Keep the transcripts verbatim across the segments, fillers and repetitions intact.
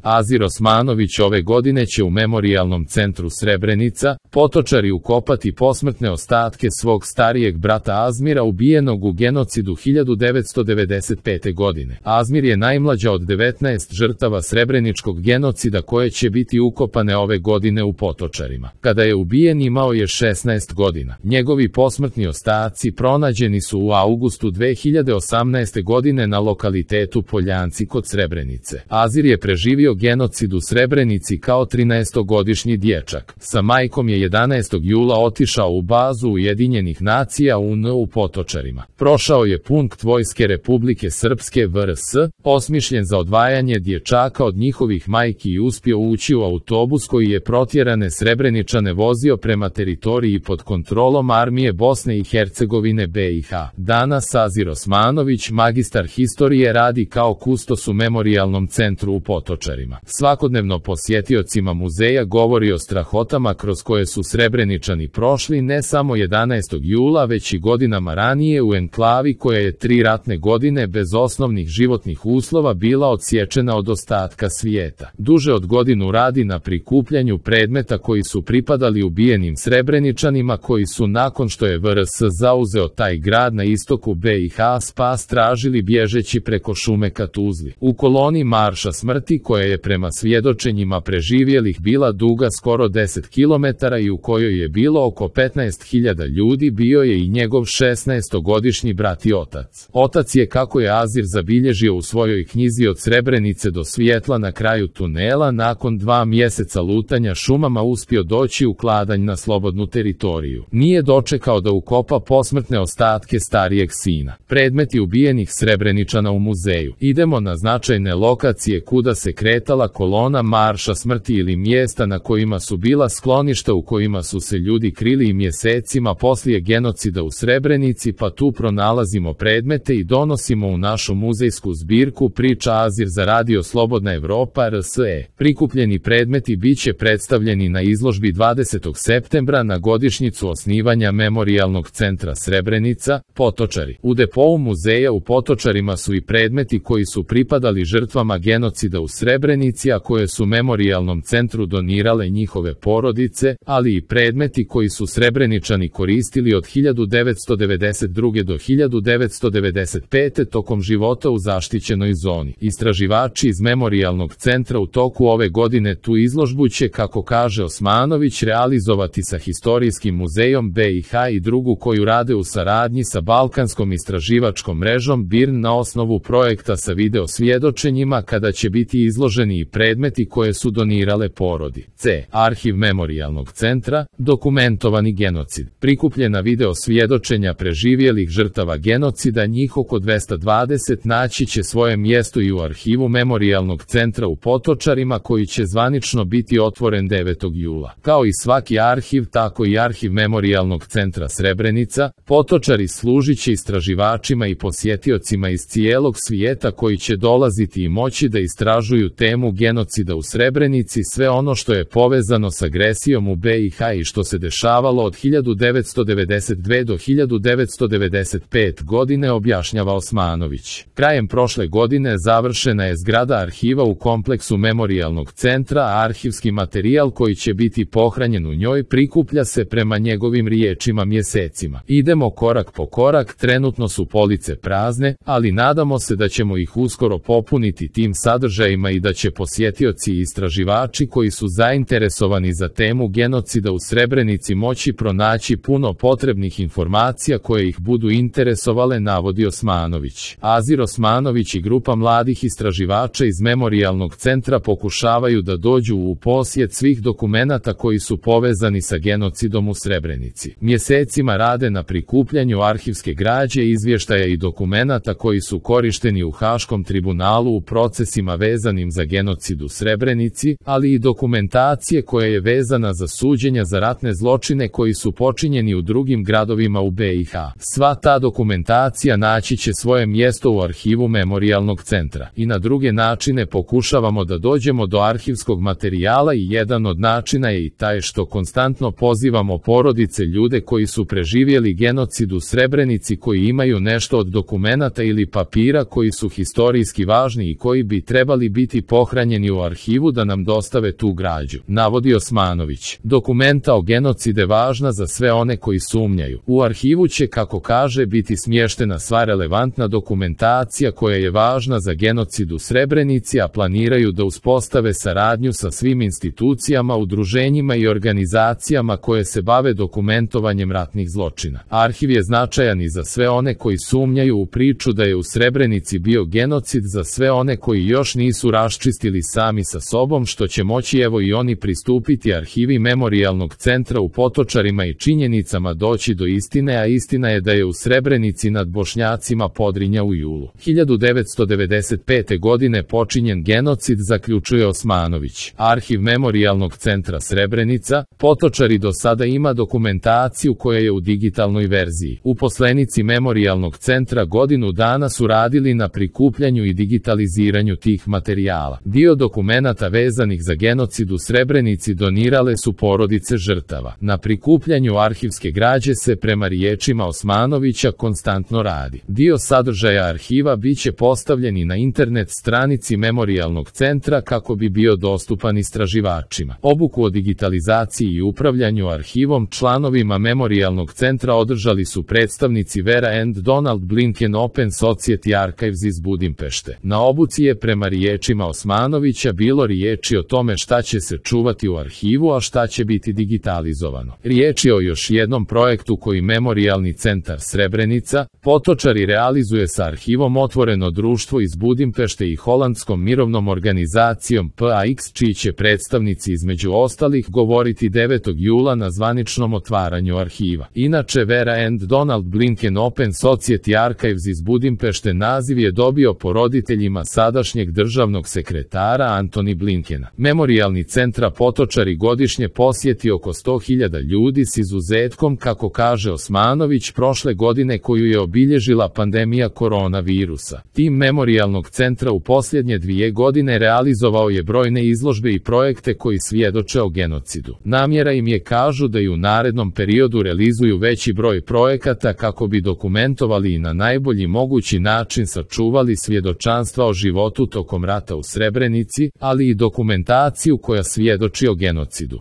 Azir Osmanović ove godine će u Memorijalnom centru Srebrenica, Potočari ukopati posmrtne ostatke svog starijeg brata Azmira ubijenog u genocidu hiljadu devetsto devedeset pete. godine. Azmir je najmlađa od devetnaest žrtava srebreničkog genocida koje će biti ukopane ove godine u Potočarima. Kada je ubijen imao je šesnaest godina. Njegovi posmrtni ostaci pronađeni su u avgustu dve hiljade osamnaeste. godine na lokalitetu Poljanci kod Srebrenice. Azir je preživio genocid u Srebrenici kao trinaestogodišnji dječak. Sa majkom je jedanaestog jula otišao u bazu Ujedinjenih nacija U N u Potočarima. Prošao je punkt Vojske Republike Srpske V R S, osmišljen za odvajanje dječaka od njihovih majki i uspio ući u autobus koji je protjerane Srebreničane vozio prema teritoriji pod kontrolom armije Bosne i Hercegovine B i H. Danas Azir Osmanović, magistar historije, radi kao kustos u Memorijalnom centru u Potočarima. Svakodnevno posjetiocima muzeja govori o strahotama kroz koje su Srebreničani prošli ne samo jedanaestog jula već i godinama ranije u enklavi koja je tri ratne godine bez osnovnih životnih uslova bila odsječena od ostatka svijeta. Duže od godinu radi na prikupljanju predmeta koji su pripadali ubijenim Srebreničanima koji su nakon što je V R S zauzeo taj grad na istoku B i H spas tražili bježeći preko šume ka Tuzli. U koloni Marša smrti koja je prema svjedočenjima preživjelih bila duga skoro deset kilometara i u kojoj je bilo oko petnaest hiljada ljudi bio je i njegov šesnaestogodišnji brat i otac. Otac je, kako je Azir zabilježio u svojoj knjizi Od Srebrenice do svjetla na kraju tunela, nakon dva mjeseca lutanja šumama uspio doći u Kladanj na slobodnu teritoriju. Nije dočekao da ukopa posmrtne ostatke starijeg sina. Predmeti ubijenih Srebreničana u muzeju. Idemo na značajne lokacije kuda se kretala kolona Marša smrti ili mjesta na kojima su bila skloništa u kojima su se ljudi krili i mjesecima poslije genocida u Srebrenici, pa tu pronalazimo predmete i donosimo u našu muzejsku zbirku, priča Azir za Radio Slobodna Evropa R S E. Prikupljeni predmeti bit će predstavljeni na izložbi dvadesetog septembra na godišnjicu osnivanja Memorijalnog centra Srebrenica, Potočari. U depou muzeja u Potočarima su i predmeti koji su pripadali žrtvama genocida u Srebrenici, a koje su Memorijalnom centru donirale njihove porodice, ali i predmeti koji su Srebreničani koristili od hiljadu devetsto devedeset druge. do hiljadu devetsto devedeset pete. tokom života u zaštićenoj zoni. Istraživači iz Memorijalnog centra u toku ove godine tu izložbu će, kako kaže Osmanović, realizovati sa Historijskim muzejom B i H i drugu koju rade u saradnji sa Balkanskom istraživačkom mrežom B I R N na osnovu projekta sa video svjedočenjima, kada će biti izloženi i predmeti koje su donirale porodi. C. Arhiv Memorijalnog centra, dokumentovani genocid. Prikupljena video svjedočenja preživjelih žrtava genocida, njih oko dvesta dvadeset, naći će svoje mjesto i u arhivu Memorijalnog centra u Potočarima koji će zvanično biti otvoren devetog jula. Kao i svaki arhiv, tako i arhiv Memorijalnog centra Srebrenica, Potočari služit će istraživačima i posjetiocima iz cijelog svijeta koji će dolaziti i moći da istražuju temu genocida u Srebrenici, sve ono što je povezano s agresijom u B i H i što se dešavalo od hiljadu devetsto devedeset dve. do hiljadu devetsto devedeset pete. godine, objašnjava Osmanović. Krajem prošle godine završena je zgrada arhiva u kompleksu Memorijalnog centra, a arhivski materijal koji će biti pohranjen u njoj prikuplja se, prema njegovim riječima, mjesecima. Idemo korak po korak, trenutno su police prazne, ali nadamo se da ćemo ih uskoro popuniti tim sadržajima i da će posjetioci i istraživači koji su zainteresovani za temu genocida u Srebrenici moći pronaći puno potrebnih informacija koje ih budu interesovale, navodi Osmanović. Azir Osmanović i grupa mladih istraživača iz Memorijalnog centra pokušavaju da dođu u posjed svih dokumenata koji su povezani sa genocidom u Srebrenici. Mjesecima rade na prikupljanju arhivske građe, izvještaja i dokumenata koji su korišteni u Haškom tribunalu u procesima vezanim za genocid u Srebrenici, ali i dokumentacije koja je vezana za suđenja za ratne zločine koji su počinjeni u drugim gradovima u B i H. Sva ta dokumentacija naći će svoje mjesto u arhivu Memorijalnog centra. I na druge načine pokušavamo da dođemo do arhivskog materijala i jedan od načina je i taj što konstantno pozivamo porodice, ljude koji su preživjeli genocid u Srebrenici, koji imaju nešto od dokumenata ili papira koji su historijski važni i koji bi trebali biti pohranjeni u arhivu da nam dostave tu građu, navodi Osmanović. Dokumenta o genocide važna za sve one koji sumnjaju. U arhivu će, kako kaže, biti smještena sva relevantna dokumentacija koja je važna za genocid u Srebrenici, a planiraju da uspostave saradnju sa svim institucijama, udruženjima i organizacijama koje se bave dokumentovanjem ratnih zločina. Arhiv je značajan i za sve one koji sumnjaju u priču da je u Srebrenici bio genocid, za sve one koji još nisu raščistili sami sa sobom, što će moći evo i oni pristupiti arhivi Memorijalnog centra u Potočarima i činjenicama doći do istine, a istina je da je u Srebrenici nad Bošnjacima Podrinja u julu hiljadu devetsto devedeset pete. godine počinjen genocid, zaključuje Osmanović. Arhiv Memorijalnog centra Srebrenica, Potočari do sada ima dokumentaciju koja je u digitalnoj verziji. Uposlenici Memorijalnog centra godinu dana su radili na prikupljanju i digitaliziranju tih materijala. Dio dokumenata vezanih za genocid u Srebrenici donirale su porodice žrtava. Na prikupljanju arhivske građe se, prema riječima Osmanovića, konstantno radi. Dio sadržaja arhiva biće postavljen i na internet stranici Memorijalnog centra kako bi bio dostupan istraživačima. Obuku o digitalizaciji i upravljanju arhivom članovima Memorijalnog centra održali su predstavnici Vera and Donald Blinken Open Society Archives iz Budimpešte. Na obuci je, prema riječima Osmanovića, bilo riječi o tome šta će se čuvati u arhivu, a šta će biti digitalizovano. Riječ je o još jednom projektu koji Memorijalni centar Srebrenica, Potočari realizuje sa arhivom Otvoreno društvo iz Budimpešte i holandskom mirovnom organizacijom P A X, čiji će predstavnici između ostalih govoriti devetog jula na zvaničnom otvaranju arhiva. Inače, Vera and Donald Blinken Open Society Archives iz Budimpešte naziv je dobio po roditeljima sadašnjeg državnog sekretara Antony Blinkena. Memorijalni centra Potočari godišnje posjeti oko sto hiljada ljudi, s izuzetkom, kako kaže Osmanović, prošle godine koju je obilježila pandemija koronavirusa. Tim Memorijalnog centra u posljednje dvije godine realizovao je brojne izložbe i projekte koji svjedoče o genocidu. Namjera im je, kažu, da i u narednom periodu realizuju veći broj projekata kako bi dokumentovali i na najbolji mogući način sačuvali svjedočanstva o životu tokom rata u Srebrenici, ali i dokumentaciju koja svjedoči o genocidu.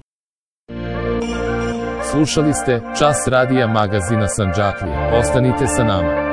Slušali ste Čas radija magazina Sandžaklija. Ostanite sa nama.